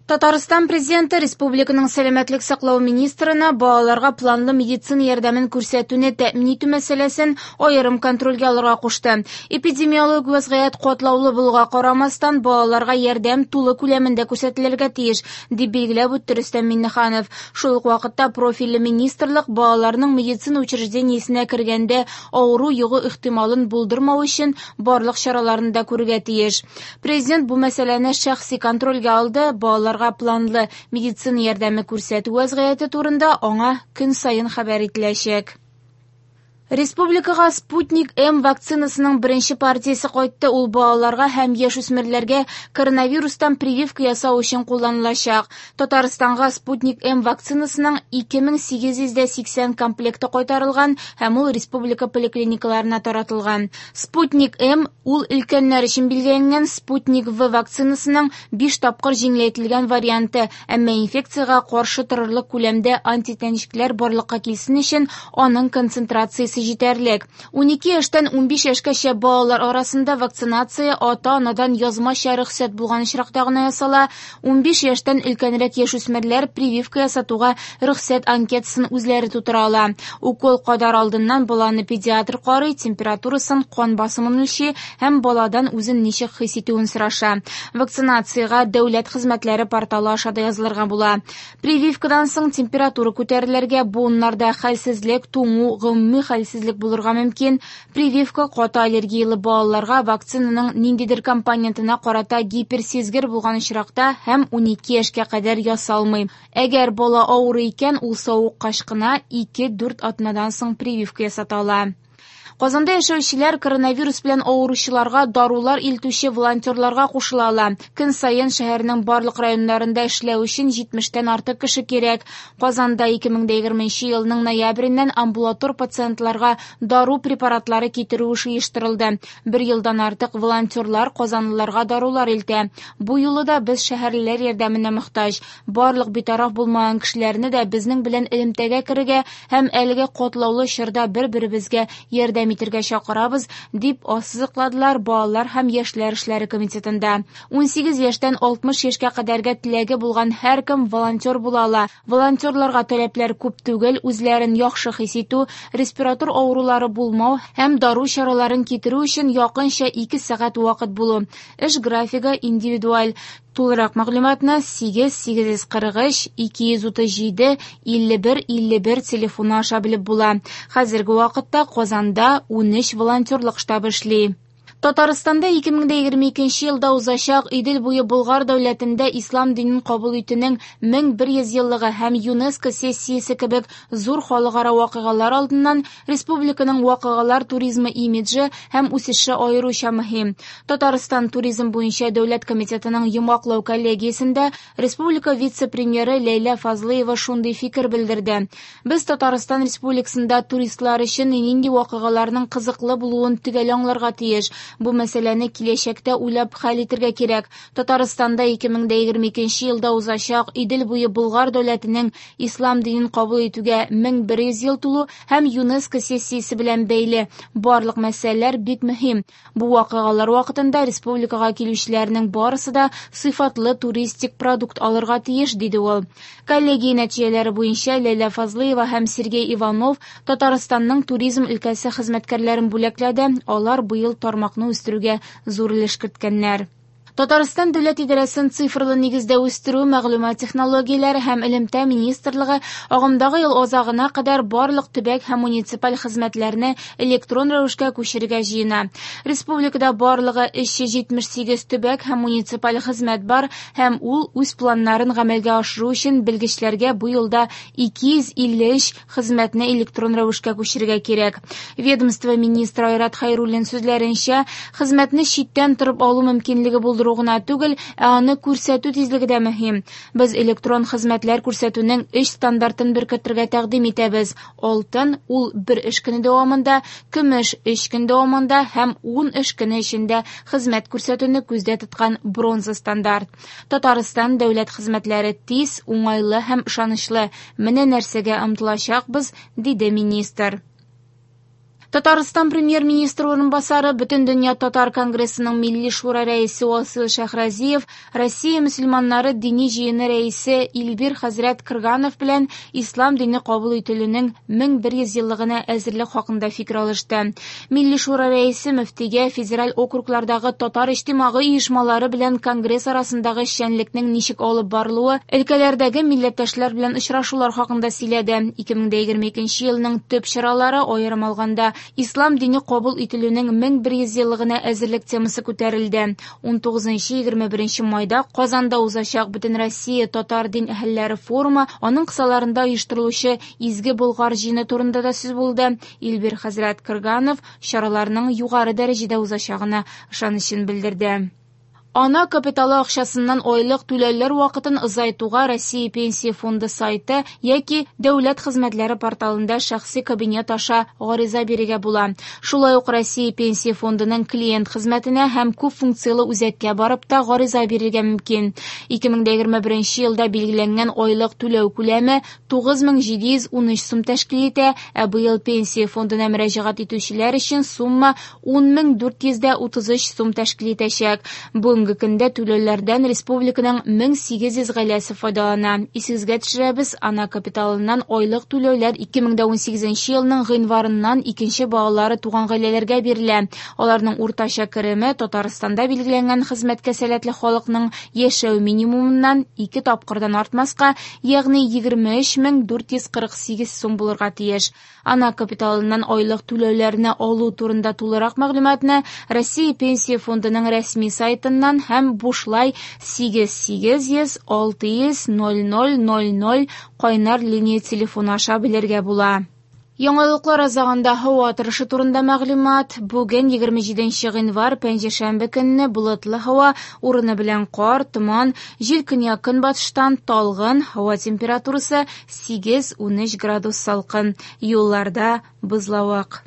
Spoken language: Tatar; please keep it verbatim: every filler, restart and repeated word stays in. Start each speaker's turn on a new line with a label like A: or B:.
A: Татарстан Президенты республиканың сәламәтлек саклау министрына балаларга планлы медицина ярдәмен күрсәтүне тәэмин итү мәсьәләсен аерым контрольгә алырга кушты. Эпидемиологик вазгыять катлаулы булуга карамастан, балаларга ярдәм тулы күләмендә күрсәтелергә тиеш, дип билгеләп үтте Рөстәм Миңнеханов. Шул ук вакытта профильле министрлык балаларның медицина учреждениесенә кергәндә авыру йогу ихтималын булдырмау өчен барлык чараларны да күрергә тиеш. Президент бу мәсьәләне шәхси контрольгә алды, балалар планлы медицина ярдәме күрсәтү вазгыяте турында аңа көн саен хәбәр ителәчәк. Республикага Спутник М вакцинасының беренче партиясе кайтты. Ул балаларга һәм яшүсмерләргә коронавирустан прививка ясау өчен кулланылачак. Татарстанга Спутник М вакцинасының ике мең сигез йөз сиксән комплекты кайтарылган һәм ул республика поликлиникаларына таратылган. Спутник М ул өлкәннәр өчен билгеләнгән Спутник В вакцинасының биш тапкыр җиңеләйтелгән варианты, әмма инфекциягә каршы торырлык күләмдә антитәнчекләр барлыкка килсен өчен аның концентрациясе җитәрлек. Унике яшьтән унбиш яшькәчә балалар арасында вакцинация ата-анадан язмача рөхсәт булган очракта гына ясала. Унбиш яшьтән өлкәнрәк яшүсмерләр прививка ясатуга рөхсәт анкетасын үзләре тутыра ала. Укол кадар алдыннан баланы педиатр карый, температурасын, кан басымын үлчи һәм баладан үзен ничек хис итүен сораша. Вакцинациягә дәүләт хезмәтләре порталы аша да язылырга була. Прививкадан соң температура күтәрелергә, буыннарда хәлсезлек, туңу, гомуми хәлсезлек булырга мөмкин. Прививка каты аллергиялы балаларга вакцинаның ниндидер компонентына карата гиперсизгер булган очракта һәм унике яшькә кадәр ясалмый. Әгәр бала авырый икән, ул савыккач кына ике-дүрт атнадан соң прививка ясата ала. Казанда яшәүчеләр коронавирус белән авыручыларга дарулар илтүче волонтерларга кушыла ала. Көн саен шәһәрнең барлык районнарында эшләү өчен җитмештән артык кеше кирәк. Казанда ике мең дә егерменче елның ноябреннән амбулатор пациентларга дару препаратлары китерү эше оештырылды. Бер елдан артык волонтерлар казанлыларга дарулар илтә. Бу юлы да без шәһәрлеләр ярдәменә мохтаҗ. Барлык битараф булмаган кешеләрне дә безнең белән элемтәгә керергә һәм әлеге катлаулы чорда бер-беребезгә ярдәм итергә чакырабыз, дип ассызыкладылар Балалар һәм яшьләр эшләре комитетында. Унсигез яшьтән алтмыш яшькә кадәргә теләге булган һәркем волонтер була ала. Волонтерларга таләпләр күп түгел, үзләрен яхшы хис итү, респиратор авырулары булмау һәм дару чараларын китерү өчен якынча ике сәгать вакыт булу. Эш графигы индивидуаль. Тулырак мәгълүматны сигез сигез йөз кырык өч ике йөз утыз җиде илле бер илле бер телефоны аша белеп була. Хәзерге вакытта Казанда унөч волонтерлык штабы эшли. Татарстанда ике мең дә егерме икенче елда узачак Идел буе Болгар дәүләтендә ислам динен кабул итүнең мең бер йөз еллыгы һәм ЮНЕСКО сессиясе кебек зур халыкара вакыйгалар алдыннан республиканың вакыйгалар туризмы имиджы һәм үсеше аеруча мөһим. Татарстан туризм буенча дәүләт комитетының йомгаклау коллегиясендә республика вице-премьеры Ләйлә Фазлыева шундый фикер белдерде. Без Татарстан Республикасында туристлар өчен нинди вакыйгаларның кызыклы булуын төгәл аңларга тиеш. Бу мәсьәләне киләчәктә уйлап хәл итергә кирәк. Татарстанда ике мең дә егерме икенче елда узачак Идел буе Болгар дәүләтенең ислам динен кабул итүгә мең бер йөз ел тулу һәм ЮНЕСКО сессиясе белән бәйле барлык мәсьәләләр бик мөһим. Бу вакыйгалар вакытында республикага килүчеләрнең барысы да сыйфатлы туристик продукт алырга тиеш, диде ул. Коллегия нәтиҗәләре буенча Ләйлә Фазлыева һәм Сергей Иванов Татарстанның туризм өлкәсе хезмәткәрләрен бүләкләде. Алар быел тармакны үстерүгә зур өлеш керткәннәр. Татарстан дәүләт идарәсен цифрлы нигездә үстерү, мәгълүмат технологияләре һәм элемтә министрлыгы агымдагы ел азагына кадәр барлык төбәк һәм муниципаль хезмәтләрне электрон рәвешкә күчерергә җыена. Республикада барлыгы өч йөз җитмеш сигез төбәк һәм муниципаль хезмәт бар һәм ул үз планнарын гамәлгә ашыру өчен белгечләргә бу елда ике йөз илле өч хезмәтне электрон рәвешкә күчерергә кирәк. Ведомство министры Айрат Хәйруллин сүзләренчә, хезмәтне читтән торып алу мөмкинлеге булдыру гына түгел, ә аны күрсәтү тизлеге дә мөһим. Без электрон хезмәтләр күрсәтүнең өч стандартын беркетергә тәкъдим итәбез. Алтын ул бер эш көне дәвамында, көмеш өч көн дәвамында һәм ун эш көне эчендә хезмәт күрсәтүне күздә тоткан бронза стандарт. Татарстан дәүләт хезмәтләре тиз, уңайлы һәм ышанычлы. Менә нәрсәгә омтылачакбыз, диде министр. Татарстан премьер-министры урынбасары, Бөтендөнья татар конгрессының Милли шура рәисе Васил Шәһразиев, Россия мөселманнары дини җыены рәисе Илбир хәзрәт Крганов белән ислам дине кабул ителүнең мең бер йөз еллыгына әзерлек хакында фикер алышты. Милли шура рәисе мөфтигә федераль округлардагы татар иҗтимагый оешмалары белән конгресс арасындагы эшчәнлекнең ничек алып барылуы, өлкәләрдәге милләттәшләр белән очрашулар хакында сөйләде. ике мең егерме икенче елның төп чаралары, аерым алганда, Ислам дине кабул ителүнең мең бер йөз еллыгына әзерлек темасы күтәрелде. ун тугызынчы егерме беренче майда Казанда узачак Бөтенроссия татар дин әһелләре форумы, аның кысаларында оештырылучы Изге Болгар җыены турында да сүз булды. Илбир хәзрәт Крганов чараларның югары дәрәҗәдә узачагына ышанычын белдерде. Ана капиталы акчасыннан айлык түләүләр вакытын озайтуга Россия Пенсия фонды сайты яки Дәүләт хезмәтләре порталында шәхси кабинет аша гариза бирергә була. Шулай ук Россия Пенсия фондының клиент хезмәтенә һәм күп функцияле үзәккә барып та гариза бирергә мөмкин. ике мең егерме беренче елда билгеләнгән айлык түләү күләме тугыз мең җиде йөз ун өч сум тәшкил итә, ә быел Пенсия фондына мөрәҗәгать итүчеләр өчен сумма ун мең дүрт йөз утыз өч сум тәшкил итәчәк. Бүгенге көндә түләүләрдән республиканың мең сигез йөз гаиләсе файдалана. Исегезгә төшерәбез, ана капиталыннан айлык түләүләр ике мең ун сигезенче елның гыйнварыннан икенче балалары туган гаиләләргә бирелә. Аларның уртача кереме Татарстанда билгеләнгән хезмәткә сәләтле халыкның яшәү минимумыннан ике тапкырдан артмаска, ягъни егерме өч мең дүрт йөз кырык сигез сум булырга тиеш. Ана капиталыннан айлык түләүләрне алу турында тулырак мәгълүматны Россия Пенсия фондының рәсми сайтыннан һәм бушлай сигез сигез йөз алты йөз ноль ноль ноль ноль кайнар линия телефоны аша белергә була. Яңалыклар азагында һава торышы турында мәгълүмат. Бүген егерме җиденче гыйнвар пәнҗешәмбе көнне болытлы һава, урыны белән кар, томан, җил көньяк-көнбатыштан талгын, һава температурасы сигез-унөч градус салкын. Юлларда бозлавык.